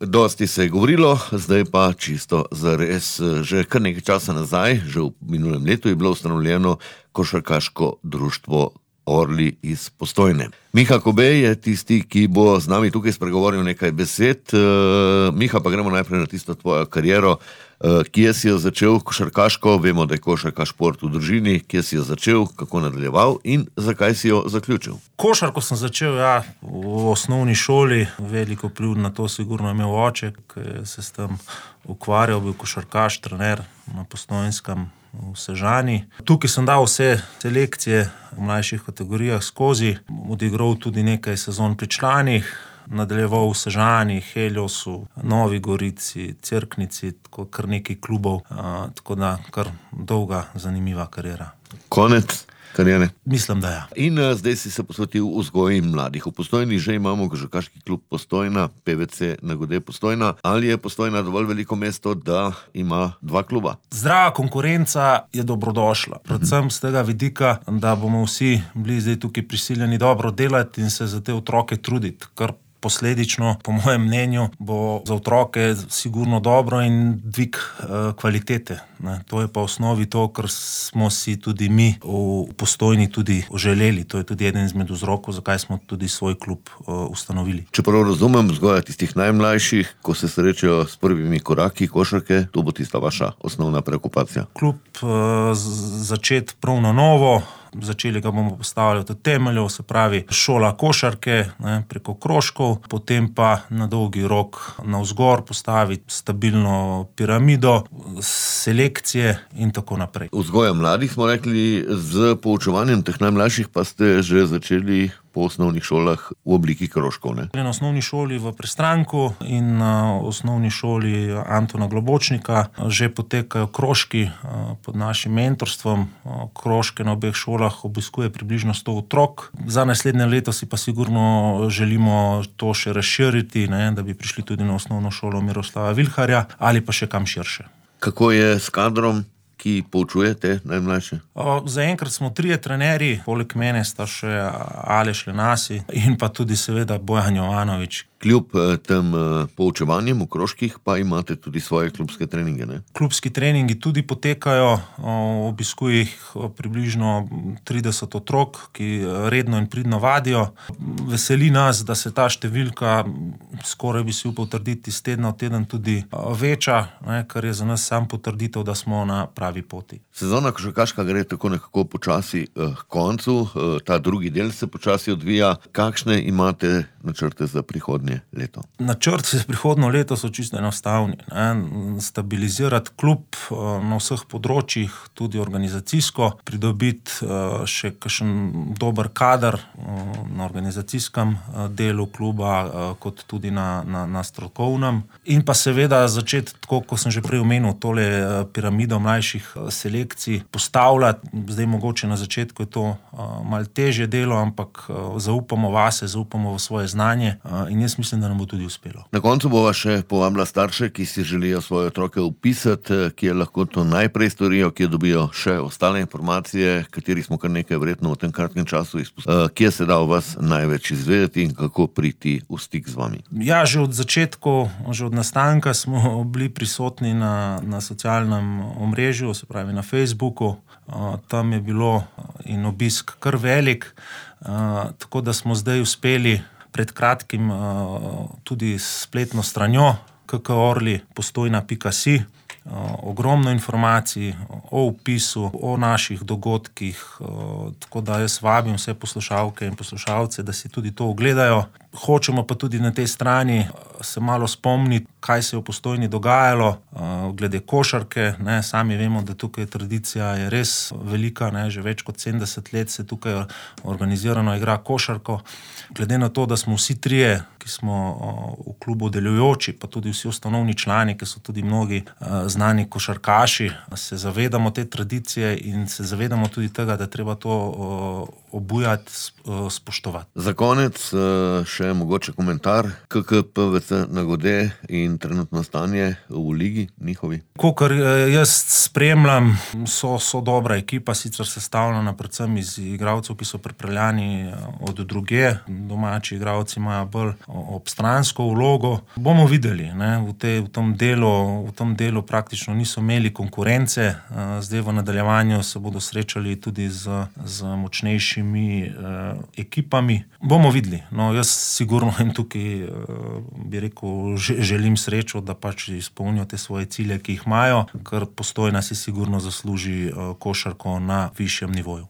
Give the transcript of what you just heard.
Dosti se je govorilo, zdaj pa čisto zares. Že kar nekaj časa nazaj, že v minulem letu, je bilo ustanovljeno košarkaško društvo Orli iz Postojne. Miha Kobe je tisti, ki bo z nami tukaj spregovoril nekaj besed. Miha, pa gremo najprej na tisto tvojo kariero. Kje si jo začel košarkaško? Vemo, da je košarka šport v družini. Kje si jo začel, kako nadaljeval in zakaj si jo zaključil? Košarko sem začel, v osnovni šoli. Veliko vpliv na to sigurno je imel oče, ki se s tem ukvarjal, bil košarkaš, trener na Postojnskem v Sežani. Tukaj sem dal vse selekcije v mlajših kategorijah skozi, odigral tudi nekaj sezon pri članih, nadaljeval v Sežani, Heliosu, Novi Gorici, Cerknici, tako kar nekaj klubov, tako da kar dolga, zanimiva kariera. Konec kariere? Mislim, da ja. In zdaj si se posvetil vzgoji mladih. V Postojni že imamo košarkaški klub Postojna, PVC Nagode Postojna. Ali je Postojna dovolj veliko mesto, da ima dva kluba? Zdrava konkurenca je dobrodošla. Predvsem z tega vidika, da bomo vsi bili zdaj tukaj prisiljeni dobro delati in se za te otroke truditi, kar posledično, po mojem mnenju, bo za otroke sigurno dobro in dvig kvalitete. To je pa v osnovi to, kar smo si tudi mi v Postojni tudi želeli. To je tudi eden izmed vzrokov, zakaj smo tudi svoj klub ustanovili. Če prav razumem, vzgoja tistih najmlajših, ko se srečajo s prvimi koraki košarke, to bo tista vaša osnovna preokupacija. Klub začeti prav na novo. Začeli ga bomo postavljati od temeljev, se pravi šola košarke, preko krožkov, potem pa na dolgi rok navzgor postaviti stabilno piramido, selekcije in tako naprej. Vzgoja mladih smo rekli, z poučevanjem teh najmlajših pa ste že začeli po osnovnih šolah v obliki krožkov, ne? Na osnovni šoli v Prestranku in na osnovni šoli Antona Globočnika že potekajo krožki pod našim mentorstvom. Krožke na obeh šolah obiskuje približno 100 otrok. Za naslednje leto si pa sigurno želimo to še razširiti, da bi prišli tudi na osnovno šolo Miroslava Vilharja ali pa še kam širše. Kako je s kadrom, ki poučuje te najmlajše? Zaenkrat smo 3 trenerji, poleg mene sta še Aleš Lenasi in pa tudi seveda Bojan Jovanovič. Kljub tem poučevanjem v krožkih pa imate tudi svoje klubske treninge, ne? Klubski treningi tudi potekajo, obiskuje jih približno 30 otrok, ki redno in pridno vadijo. Veseli nas, da se ta številka, skoraj bi si upal trditi, iz tedna v teden tudi veča, kar je za nas sam potrditev, da smo na pravi poti. Sezona košarkaška gre tako nekako počasi k koncu, ta drugi del se počasi odvija. Kakšne imate načrte za prihodnje leto? Načrti za prihodnje leto so čisto enostavni. Stabilizirati klub na vseh področjih, tudi organizacijsko, pridobiti še kakšen dober kader na organizacijskem delu kluba, kot tudi na strokovnem. In pa seveda začeti, tako kot sem že prej omenil, tole piramido mlajših selekcij postavljati. Zdaj mogoče na začetku je to malo težje delo, ampak zaupamo vase, zaupamo v svoje znanje in jaz mislim, da nam bo tudi uspelo. Na koncu bova še povabila starše, ki si želijo svoje otroke vpisati, kje lahko to najprej storijo, kje dobijo še ostale informacije, katerih smo kar nekaj verjetno v tem kratkem času izpustili. Kje se da o vas največ izvedeti in kako priti v stik z vami? Ja, že od začetku, že od nastanka smo bili prisotni na socialnem omrežju, se pravi na Facebooku. Tam je bilo in obisk kar velik, tako da smo zdaj uspeli pred kratkim tudi s spletno stranjo kkorli.postojna.si. Ogromno informacij o vpisu, o naših dogodkih, tako da jaz vabim vse poslušalke in poslušalce, da si tudi to ogledajo. Hočemo pa tudi na tej strani se malo spomniti, kaj se je v Postojni dogajalo glede košarke. Sami vemo, da tukaj tradicija je res velika, že več kot 70 let se tukaj organizirano igra košarko. Glede na to, da smo vsi trije, ki smo v klubu delujoči, pa tudi vsi ustanovni člani, ki so tudi mnogi znani košarkaši, se zavedamo te tradicije in se zavedamo tudi tega, da treba to obujati, spoštovati. Za konec še mogoče komentar, KK PVC Nagode in trenutno stanje v ligi njihovi. Kakor jaz spremljam, so dobra ekipa, sicer sestavljena predvsem iz igralcev, ki so pripeljani od druge. Domači igralci imajo bolj obstransko vlogo. Bomo videli, ne? V tem delu praktično niso imeli konkurence. Zdaj v nadaljevanju se bodo srečali tudi z močnejšimi ekipami. Bomo videli. No, jaz sigurno jim tukaj, bi rekel, želim srečo, da pač izpolnijo te svoje cilje, ki jih imajo, ker Postojna si sigurno zasluži košarko na višjem nivoju.